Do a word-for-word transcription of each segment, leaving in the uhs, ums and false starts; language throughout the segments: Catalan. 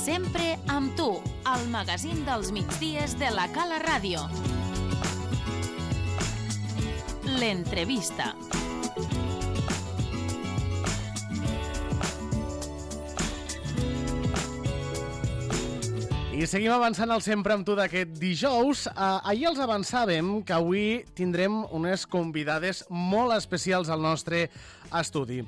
Sempre amb tu, al magazín dels migdies de la Cala Ràdio. L'entrevista. I seguim avançant al Sempre amb tu d'aquest dijous. Uh, ahir els avançàvem que avui tindrem unes convidades molt especials al nostre estudi.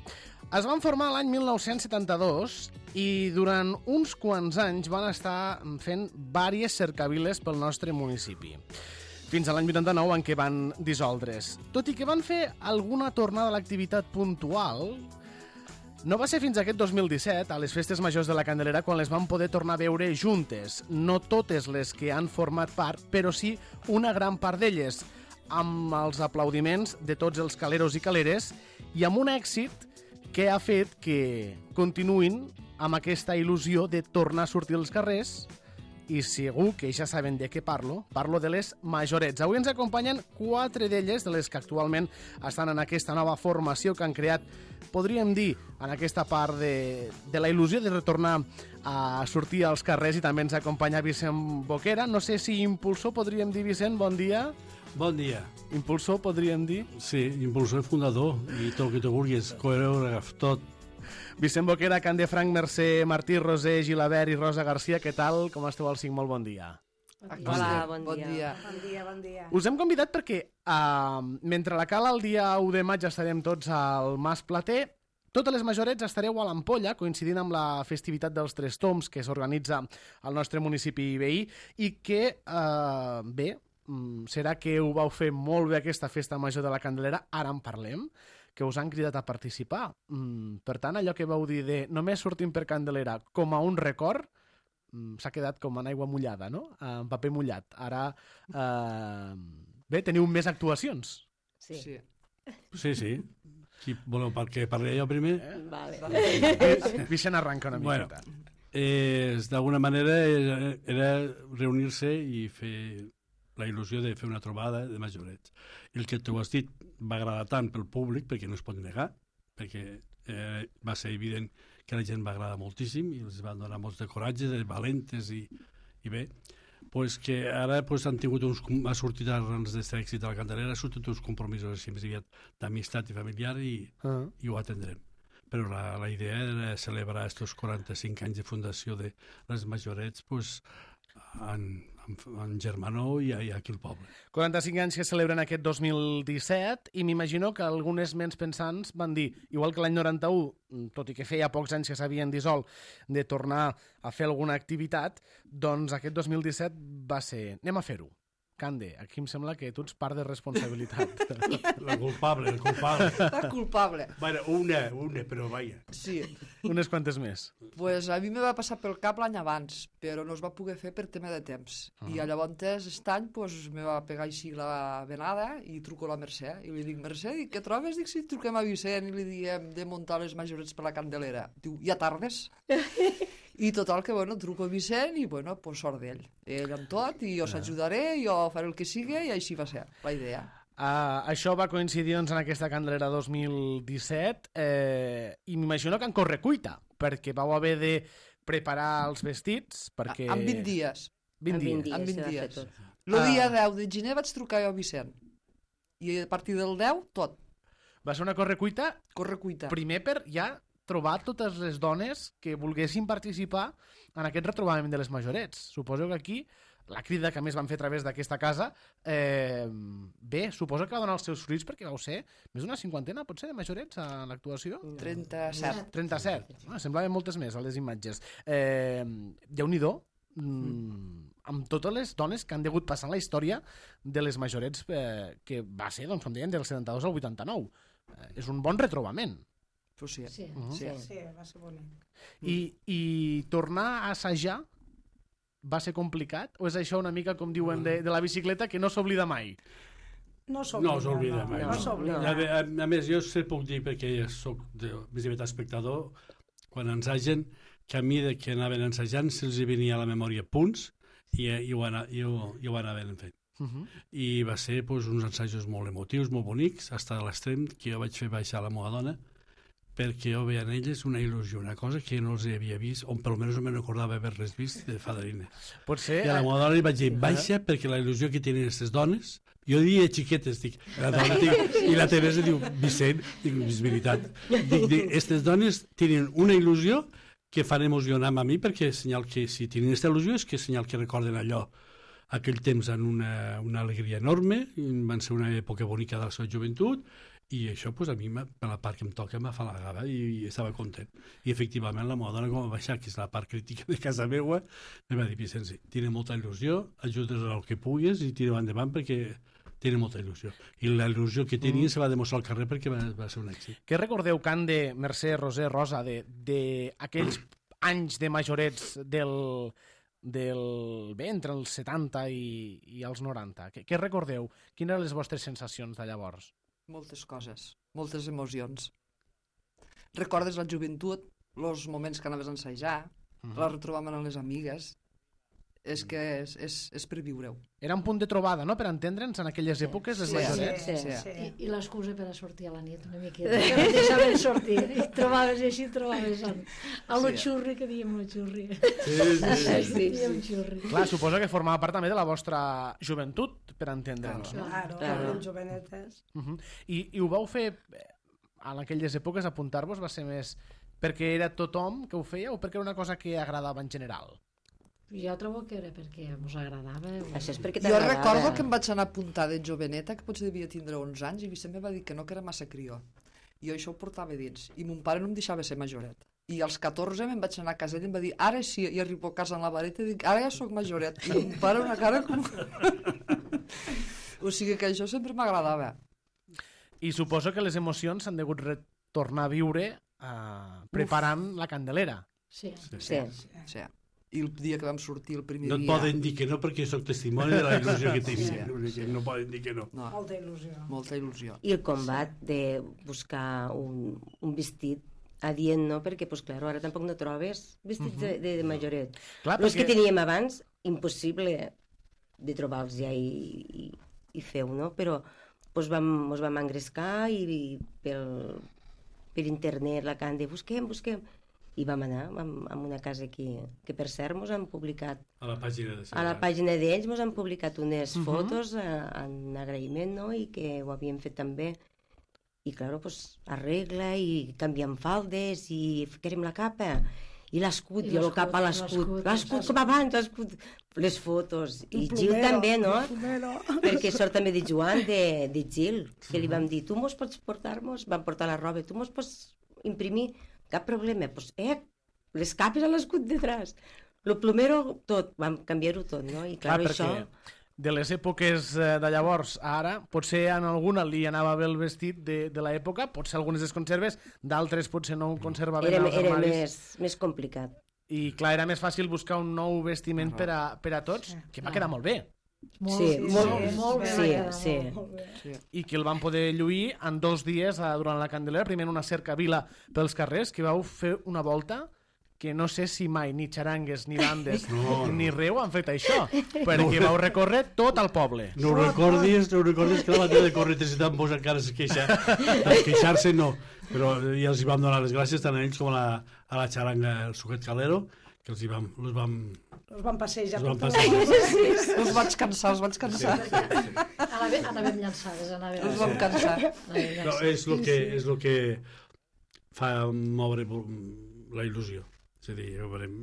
Es van formar l'any mil nou-cents setanta-dos i durant uns quants anys van estar fent diverses cercaviles pel nostre municipi. Fins a l'any vuitanta-nou en què van dissoldre's. Tot i que van fer alguna tornada a l'activitat puntual, no va ser fins aquest dos mil disset, a les festes majors de la Candelera, quan les van poder tornar a veure juntes. No totes les que han format part, però sí una gran part d'elles, amb els aplaudiments de tots els caleros i caleres i amb un èxit que ha fet que continuïn amb aquesta il·lusió de tornar a sortir als carrers. I segur que ja saben de què parlo. Parlo de les Majorets. Avui ens acompanyen quatre d'elles, de les que actualment estan en aquesta nova formació que han creat, podríem dir, en aquesta part de, de la il·lusió de retornar a sortir als carrers. I també ens acompanya Vicent Boquera. No sé si impulsor podríem dir, Vicent, bon dia. Bon dia. Impulsor podríem dir? Sí, impulsor fundador i tot el que tu vulguis, coreògraf, tot. Vicent Boquera, Can de Franc, Mercè Martí, Roser Gilabert i Rosa Garcia, què tal? Com esteu al cinc? Molt bon dia. Hola, bon, bon dia. dia. Bon dia, bon dia. Us hem convidat perquè, uh, mentre la Cala el dia u de maig estarem tots al Mas Plater, totes les Majorets estareu a l'Ampolla, coincidint amb la festivitat dels Tres Tombs que s'organitza al nostre municipi veí i que, uh, bé, serà que ho vau fer molt bé aquesta festa major de la Candelera, ara en parlem, que us han cridat a participar. Mm, per tant, allò que vau dir de només sortim per Candelera com a un record, mm, s'ha quedat com en aigua mullada, no? En paper mullat. Ara, eh, bé, teniu més actuacions. Sí. Sí. Sí, sí. Qui voleu que parli jo primer? Eh? Vale. vale. Vicent arranca una miqueta. Bueno, eh, d'alguna manera era, era reunir-se i fer la il·lusió de fer una trobada de Majorets. I el que tu has dit va agradar tant pel públic, perquè no es pot negar, perquè eh, va ser evident que la gent va agradar moltíssim i els van donar molts de coratge, de valentes i, i bé, pues que ara pues, han tingut uns, ha sortit arrels d'aquest èxit de la Candelera, ha sortit uns compromisos així més aviat d'amistat i familiar i, uh -huh. i ho atendrem. Però la, la idea era celebrar aquests quaranta-cinc anys de fundació de les Majorets pues, en, en, en germanor i, i aquí al poble. quaranta-cinc anys que celebren aquest dos mil disset i m'imagino que algunes ments pensants van dir, igual que l'any noranta-u, tot i que feia pocs anys que s'havien dissolt, de tornar a fer alguna activitat, doncs aquest dos mil disset va ser, anem a fer-ho. Cande, aquí em sembla que tu ets part de responsabilitat. La culpable, el culpable. La culpable. Bueno, una, una, però vaja. Sí. Unes quantes més. Pues a mi me va passar pel cap l'any abans, però no es va poder fer per tema de temps. Uh -huh. I llavors, aquest any, pues, me va pegar així la venada i truco a la Mercè. I li dic, Mercè, dic, què trobes? Dic, si truquem a Vicent i li diem de muntar les Majorets per la Candelera. Diu, ja tardes? I total que, bueno, truco a Vicent i, bueno, pues sort d'ell. Ell amb tot, i jo s'ajudaré, jo faré el que sigui, i així va ser la idea. Uh, això va coincidir doncs, en aquesta Candelera dos mil disset eh, i m'imagino que en correcuita, perquè vau haver de preparar els vestits, perquè... En vint dies. vint dies. dies. En vint s'ha de dies. fer tot. El dia Ah. deu de gener vaig trucar jo a Vicent. I a partir del deu, tot. Va ser una correcuita Correcuita. primer per ja trobar totes les dones que volguessin participar en aquest retrobament de les Majorets. Suposo que aquí, la crida que més van fer a través d'aquesta casa, eh, bé, suposo que va donar els seus fruits perquè vau ser més d'una cinquantena, potser, de Majorets a l'actuació? trenta-set. trenta-set. Ah, semblaven moltes més a les imatges. Eh, Déu-n'hi-do, mm, amb totes les dones que han degut passar en la història de les Majorets, eh, que va ser, doncs, com deien, del setanta-dos al vuitanta-nou. Eh, és un bon retrobament. Pues sí. Sí, Uh-huh. sí. Sí. sí, va ser bonic. I, I tornar a assajar va ser complicat? O és això una mica, com diuen, de, de la bicicleta, que no s'oblida mai? No s'oblida. No s'oblida mai. No, no s'oblida. A, a, a més, jo sé puc dir, perquè ja soc de, més aviat espectador, quan ensagen, que a mi de que anaven ensajant se'ls venia a la memòria punts i, i, ho, ana, i, ho, i ho anaven fent. Uh-huh. I va ser pues, uns ensajos molt emotius, molt bonics, fins a l'extrem que jo vaig fer baixar la meva dona perquè jo veia en elles una il·lusió, una cosa que no els havia vist, o per almenys no me n'acordava haver-les vist de fadrina. Potser... I a la meva dona li vaig dir, baixa, perquè la il·lusió que tenen aquestes dones, jo diria xiquetes, dic, la dona, dic, i la Teresa diu, Vicent, dic, és veritat. Dic, aquestes dones tenen una il·lusió que fan emocionar a mi, perquè és senyal que, si tenen aquesta il·lusió, és que és senyal que recorden allò, aquell temps en una, una alegria enorme, van ser una època bonica de la seva joventut, i això pues, a mi, per la part que em toca, m'afalagava i, i estava content. I efectivament la meva dona, com va baixar, que és la part crítica de casa meva, em va dir, Vicenç, tiene molta il·lusió, ajudes el que puguis i tira endavant perquè tiene molta il·lusió. I la il·lusió que tenia mm. se va demostrar al carrer perquè va, va ser un èxit. Què recordeu, Can de Mercè, Roser, Rosa, d'aquells anys de majorets del... del bé, entre els setanta i, i els noranta? Què, què recordeu? Quines eren les vostres sensacions de llavors? Moltes coses, moltes emocions. Recordes la joventut, els moments que anaves a ensajar, uh -huh. la retrobàvem amb les amigues. És que és, és, és per viure-ho. Era un punt de trobada, no?, per entendre'ns en aquelles èpoques, les sí, majorets. Sí, sí, sí. I, i l'excusa per a sortir a la nit una miqueta, que no deixaven sortir. I trobaves així, trobaves a, a lo Sí. xurri, que diem lo xurri. Sí, sí, sí. Sí, diem xurri. Clar, suposo que formava part també de la vostra joventut, per entendre'ns. No? Claro, Claro. els jovenetes. Uh -huh. I, I ho vau fer, en aquelles èpoques, apuntar-vos va ser més perquè era tothom que ho feia o perquè era una cosa que agradava en general? Jo trobo que era perquè ens agradava. Això és perquè Jo t'agradava. recordo que em vaig anar a apuntar de joveneta, que potser devia tindre onze anys, i Vicent em va dir que no, que era massa crió. I jo això ho portava dins. I mon pare no em deixava ser majoret. I als catorze me'n vaig anar a casa ell i em va dir, ara sí, i arribo a casa en la vareta i dic, ara ja sóc majoret. I mon pare una cara com... O sigui que això sempre m'agradava. I suposo que les emocions s'han degut retornar a viure eh, preparant Uf. la Candelera. Sí. Sí. Sí. sí. I el dia que vam sortir, el primer No et dia... poden dir que no perquè sóc testimoni de la il·lusió que tenia. Sí. No poden dir que no. No, Molta il·lusió. molta il·lusió. I el combat de buscar un, un vestit adient, no? Perquè, pues, clar, ara tampoc no trobes vestits uh -huh. de, de, de majoret. Clar, Els perquè... que teníem abans, impossible de trobar-los ja i, i, i feu, no? Però pues, vam, mos vam engrescar i, i pel, per internet la can de busquem, busquem. I vam anar vam, a una casa que, que per cert mos han publicat A la pàgina de a la pàgina d'ells mos han publicat unes Uh -huh. fotos a, en agraïment, no? I que ho havien fet també. I, clar, pues, arregla i canviem faldes i ficarem la capa. I l'escut, I jo el l'escut, cap a l'escut. l'escut, L'escut com abans, l'escut. Les fotos. I Un Gil plomero, també, no? un plomero. Perquè sort també de Joan, de, de Gil, que li vam dir, tu mos pots portar-nos, vam portar la roba, tu mos pots imprimir, cap problema. Pues, eh, les capes a l'escut detrás. El plomero, tot, vam canviar-ho tot, no? I clar, Clar, això... perquè de les èpoques eh, de llavors a ara, potser en alguna li anava bé el vestit de, de l'època, potser algunes es conserves, d'altres potser no ho conservaven Era, als era armaris. més, més complicat. I clar, era més fàcil buscar un nou vestiment per a, per a tots, que va quedar molt bé. Molt, Sí, sí, molt- sí, molt bé. sí, va quedar, sí. molt, molt bé. Sí. I que el van poder lluir en dos dies eh, durant la Candelera, primer en una cercavila pels carrers, que vau fer una volta que no sé si mai ni xarangues, ni bandes, No, ni reu han fet això, perquè vau recórrer tot el poble. No ho recordis, no ho recordis que la batalla de Corretes i Tambors encara es queixa. De queixar-se no, però ja els hi vam donar les gràcies tant a ells com a la, a la xaranga, el Suquet Calero, que els hi vam... Els vam, Els van passejar. els vam per passar. tot. Els vaig cansar, els vaig cansar. Anàvem, anàvem llançades, anàvem Els vam cansar. anàvem No, llançades. és el que, és el que fa moure la il·lusió. És a dir, ja ho veurem.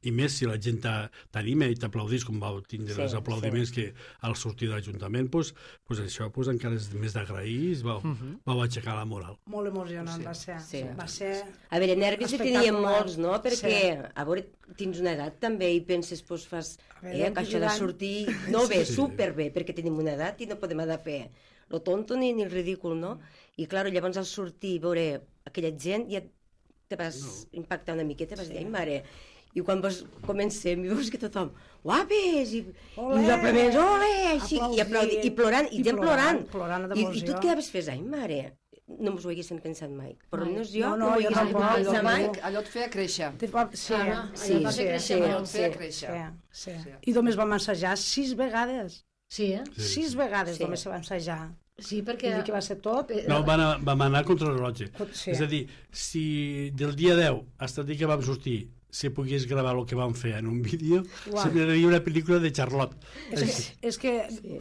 I més si la gent t'a- t'anima i t'aplaudís, com vau tindre Sí, els aplaudiments que al sortir de l'Ajuntament, pues, pues això pues, encara és més d'agrair i vau, vau aixecar la moral. Molt emocionant va ser. Sí. Va ser... A veure, nervis en teníem Espectacular. molts, no? Perquè, Sí. a veure, tens una edat també i penses, doncs fas, A veure, eh, que això de gran. sortir... No bé, Sí. superbé, perquè tenim una edat i no podem anar a fer lo tonto ni, ni el ridícul, no? I, clar, llavors al sortir i veure aquella gent ja te vas no. impactar una miqueta, vas dir, ai, mare... I quan vas, comencem i veus que tothom, guapes, i, Olé! i els aplaudiments, ole, així, i, aplaudint, i plorant, i, I gent plorant. plorant, plorant I, I tu d'emoció. et quedaves fes, ai, mare, no m'ho haguessin pensat mai. Però Mai. almenys jo No, no, no, m'ho jo haguessin tampoc, pensat jo mai. tampoc. Allò et feia créixer. Te fa- Sí, Ah, no, Sí, allò va sí, fer créixer sí, molt. Allò et feia sí. créixer. sí, sí. Sí. I només vam assajar sis vegades. Sí, eh? Sí. Sis vegades Sí. només se va ensajar. Sí, perquè... Vull dir que va ser tot. No, vam anar, vam anar contra el rellotge. Sí. És a dir, si del dia deu fins al dia que vam sortir si pogués gravar el que vam fer en un vídeo, Uau. sembraria una pel·lícula de Charlotte. És que, és que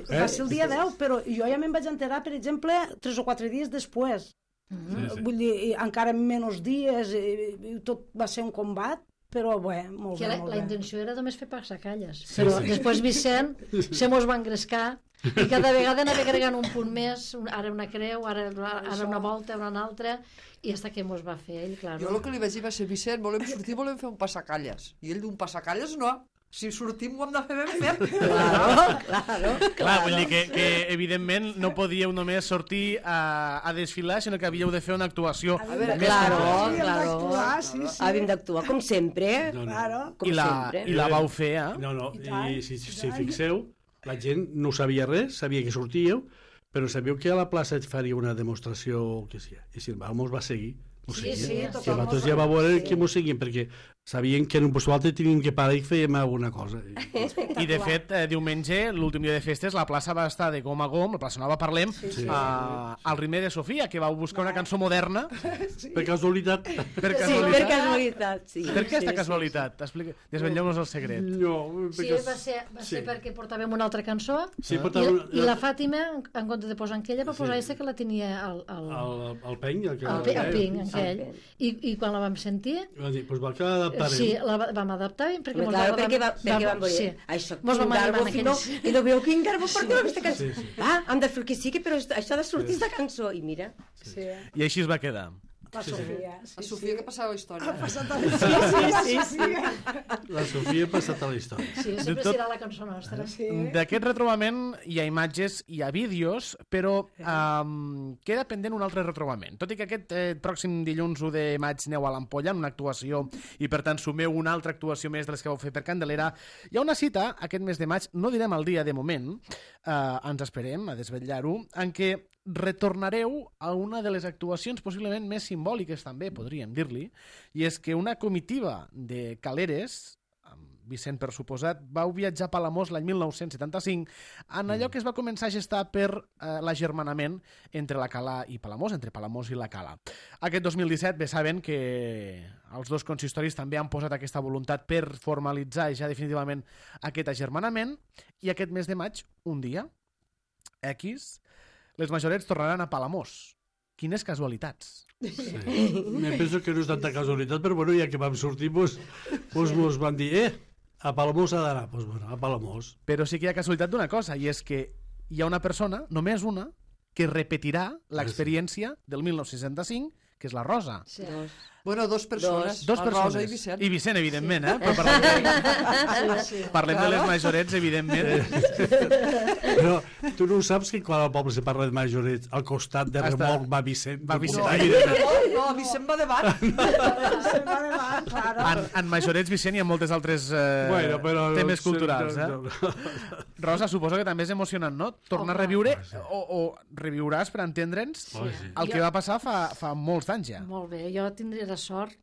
va ser el dia deu, però jo ja me'n vaig enterar, per exemple, tres o quatre dies després. Sí, sí. Vull dir, i encara menys dies, i, i tot va ser un combat, però bé, molt Que bé, la, molt la bé. intenció era només fer passacalles. Però després Vicent se mos va engrescar i cada vegada anava agregant un punt més, un- ara una creu, ara, ara una volta, ara una altra, i hasta que mos va fer ell, clar. Jo el que li vaig dir va ser, Vicent, volem sortir, volem fer un passacalles. I ell d'un passacalles no. Si sortim ho hem de fer ben fet. Claro, claro. Clar, vull dir que, que evidentment no podíeu només sortir a, a desfilar, sinó que havíeu de fer una actuació. A veure, més Claro, Havíem claro. d'actuar, sí, sí. Havíem d'actuar com sempre, No, no. Claro. com I la, sempre. I la vau fer, eh? No, no, I tant, i si, i si tant. fixeu, la gent no sabia res, sabia que sortíeu, però sabíeu que a la plaça et faria una demostració o què sigui. I si el mos va seguir. Mos Sí, seguia. sí, I tothom nosaltres mos- ja va veure sí. que mos seguien, perquè sabien que en un post altre teníem que parar i fèiem alguna cosa. I, I de fet, eh, diumenge, l'últim dia de festes, la plaça va estar de gom a gom, la plaça Nova Parlem, sí. a, al ritme de Sofia, que vau buscar una cançó moderna. per casualitat... Per Sí, per casualitat. casualitat, sí. Per què aquesta Sí, casualitat? Explica... Desvetlleu-nos el secret. No, Sí, perquè... va ser, va ser sí. perquè portàvem una altra cançó Sí, i, portava una- i la Fàtima, en, en compte de posar en aquella, va posar Sí. aquesta que la tenia al, al, El, el peny... El, que, al, pe- al ping, en El aquell. ping. I, I quan la vam sentir, Va dir, doncs va quedar adaptar. sí, la va- vam adaptar perquè Home, mos claro, la- perquè, va, perquè vam veure, sí. això, Mos quin vam garbo, animar en fino, aquells- i no veu quin garbo porteu aquesta cançó. Sí, sí. Va, hem de fer el que sigui, però això ha de sortir aquesta cançó. I mira, Sí, I així es va quedar. la Sofia. Sí, A Sofia, que passava la història. Sí, sí, sí, sí. La Sofia ha passat a la història. Sí, De sempre tot- serà la cançó nostra. Sí. D'aquest retrobament hi ha imatges, hi ha vídeos, però um, queda pendent un altre retrobament. Tot i que aquest eh, pròxim dilluns u de maig aneu a l'Ampolla en una actuació i per tant sumeu una altra actuació més de les que vau fer per Candelera, hi ha una cita aquest mes de maig, no direm el dia de moment, eh, ens esperem a desvetllar-ho, en què retornareu a una de les actuacions possiblement més simbòliques també, podríem dir-li, i és que una comitiva de Caleres, amb Vicent per suposat, vau viatjar a Palamós l'any mil nou-cents setanta-cinc en allò que es va començar a gestar per eh, l'agermanament entre la Cala i Palamós, entre Palamós i la Cala. Aquest dos mil disset bé saben que els dos consistoris també han posat aquesta voluntat per formalitzar ja definitivament aquest agermanament i aquest mes de maig, un dia, X, les majorets tornaran a Palamós. Quines casualitats. Sí. Me penso que no és tanta casualitat, però bueno, ja que vam sortir, doncs, doncs mos van dir, eh, a Palamós ha d'anar. Doncs bueno, a Palamós. Però sí que hi ha casualitat d'una cosa, i és que hi ha una persona, només una, que repetirà l'experiència del mil nou-cents seixanta-cinc, que és la Rosa. Sí. Bueno, dos persones, Dos la persones. Rosa i Vicent. I Vicent, evidentment, eh? Però parlem, de, Sí, sí. parlem de les majorets, evidentment. Però tu no saps que quan al poble se parla de majorets, al costat de Està- remolc va Vicent. Va Vicent, No, evidentment. no, Vicent va davant. Se'n va davant, claro. En, en majorets, Vicent, hi ha moltes altres eh, Bueno, però... temes culturals, eh? No, no. Rosa, suposo que també és emocionant, no? Tornar a Home. reviure, Ah, sí. o, o reviuràs, per entendre'ns, Oh, sí. el que va passar fa, fa molts anys ja. Molt bé, jo tindré la sort,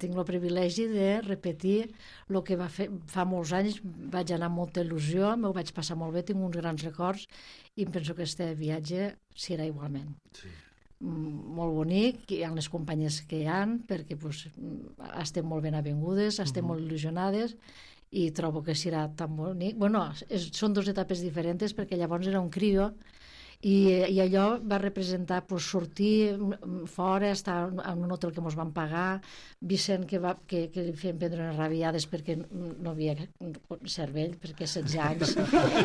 tinc el privilegi de repetir el que va fer fa molts anys, vaig anar amb molta il·lusió, m'ho vaig passar molt bé, tinc uns grans records i em penso que este viatge serà igualment. Sí. Mm, molt bonic, hi ha les companyes que hi han, perquè pues, estem molt ben avingudes, estem molt il·lusionades i trobo que serà tan bonic. Bueno, és, són dues etapes diferents perquè llavors era un crio i, i allò va representar pues, sortir mm, fora, estar en un hotel que ens van pagar, Vicent que, va, que, que li feien prendre unes rabiades perquè no havia cervell, perquè setze anys,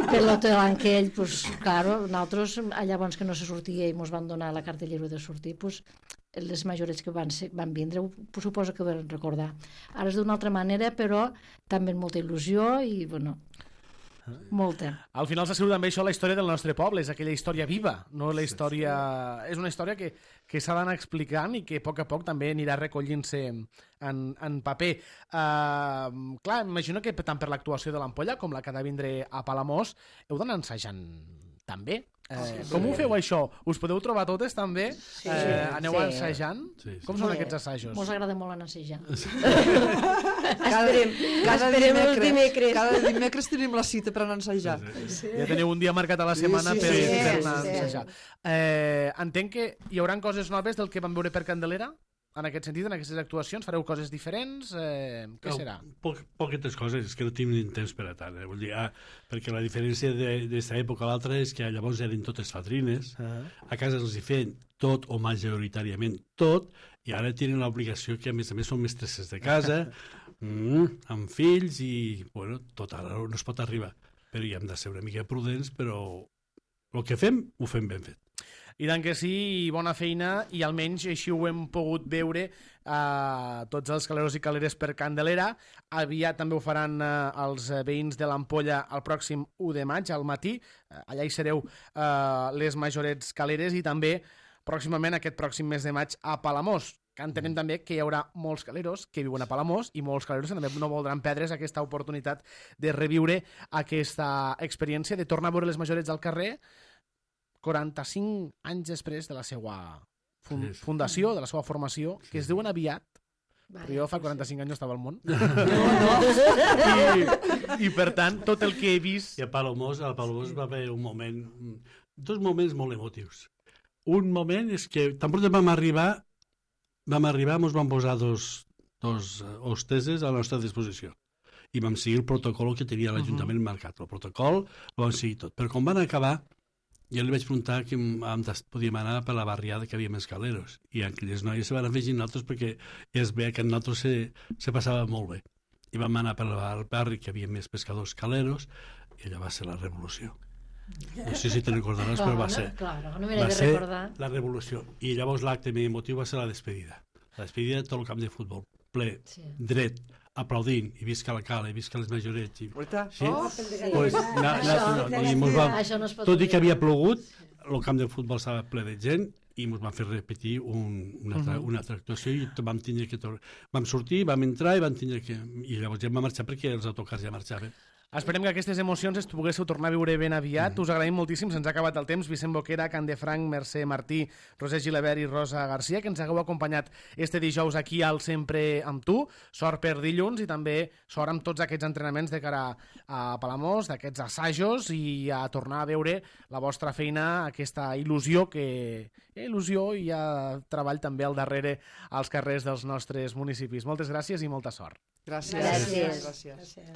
per l'hotel en què ell, pues, claro, nosaltres llavors que no se sortia i ens van donar la cartellera de sortir, pues, les majorets que van, ser, van vindre ho, suposo que ho van recordar. Ara és d'una altra manera, però també amb molta il·lusió i, bueno, molta. Al final s'ha sigut també això la història del nostre poble, és aquella història viva, no la història... És una història que, que s'ha d'anar explicant i que a poc a poc també anirà recollint-se en, en paper. Uh, clar, imagino que tant per l'actuació de l'Ampolla com la que ha de vindre a Palamós heu d'anar ensajant també. Eh, com ho feu, això? Us podeu trobar totes, també? Sí. Eh, aneu Sí. ensajant? Sí, sí. Com són aquests assajos? Mos agrada molt anar a assajar. Esperem, Cada esperem els dimecres, dimecres. cada dimecres tenim la cita per anar a ensajar. Sí. Ja teniu un dia marcat a la setmana sí, per, sí, per sí, anar a sí. ensajar. Eh, entenc que hi haurà coses noves del que vam veure per Candelera? En aquest sentit, en aquestes actuacions, fareu coses diferents? Eh, què serà? Poc, poquetes coses, és que no tinc temps per a tant. Eh? Vull dir, ah, perquè la diferència d'aquesta època a l'altra és que llavors eren totes fadrines, Uh -huh. a casa els hi feien tot o majoritàriament tot, i ara tenen l'obligació que a més a més són mestresses de casa, mm, amb fills, i bueno, tot ara no es pot arribar. Però hi hem de ser una mica prudents, però el que fem, ho fem ben fet. I tant que sí, bona feina, i almenys així ho hem pogut veure a eh, tots els caleros i caleres per Candelera. Aviat també ho faran eh, els veïns de l'Ampolla el pròxim u de maig, al matí. Eh, allà hi sereu eh, les majorets caleres, i també pròximament aquest pròxim mes de maig a Palamós, que entenem també que hi haurà molts caleros que viuen a Palamós i molts caleros que també no voldran perdre's aquesta oportunitat de reviure aquesta experiència, de tornar a veure les majorets al carrer quaranta-cinc anys després de la seva fun Sí, sí. fundació, de la seva formació, que es diuen aviat, però jo fa quaranta-cinc anys no estava al món. I, I, per tant, tot el que he vist... I a Palomós, a Palomós va haver un moment, dos moments molt emotius. Un moment és que tan pront vam arribar, vam arribar, ens vam posar dos, dos hosteses a la nostra disposició. I vam seguir el protocol que tenia l'Ajuntament uh -huh. marcat. El protocol ho vam seguir tot. Però quan van acabar, jo li vaig preguntar que podíem anar per la barriada que havia més caleros. I aquelles noies se van afegir nosaltres perquè es veia que en nosaltres se, se passava molt bé. I vam anar per el barri que havia més pescadors caleros, i allò va ser la revolució. No sé si te'n recordaràs, però va ser, Claro, no m'he va de ser recordar. la revolució. I llavors l'acte més emotiu va ser la despedida. La despedida de tot el camp de futbol, ple, Sí. dret, aplaudint, i visca la cala, i visca les majorets. I... Veritat? Sí? Oh, Pues, na, na, no, i mos vam, Això no es pot tot i que havia oblidar. plogut, el camp de futbol estava ple de gent, i ens van fer repetir un, una, altra, una altra actuació, i vam tindre que tornar. Vam sortir, vam entrar, i vam tindre que... I llavors ja vam marxar perquè els autocars ja marxaven. Esperem que aquestes emocions es poguéssiu tornar a viure ben aviat. Mm. Us agraïm moltíssim, se'ns ha acabat el temps. Vicent Boquera, Candefranc, Mercè Martí, Roser Gilabert i Rosa Garcia, que ens hagueu acompanyat este dijous aquí al Sempre amb tu. Sort per dilluns i també sort amb tots aquests entrenaments de cara a Palamós, d'aquests assajos, i a tornar a veure la vostra feina, aquesta il·lusió, que hi ha il·lusió i hi ha treball també al darrere als carrers dels nostres municipis. Moltes gràcies i molta sort. Gràcies. Gràcies. Gràcies. Gràcies.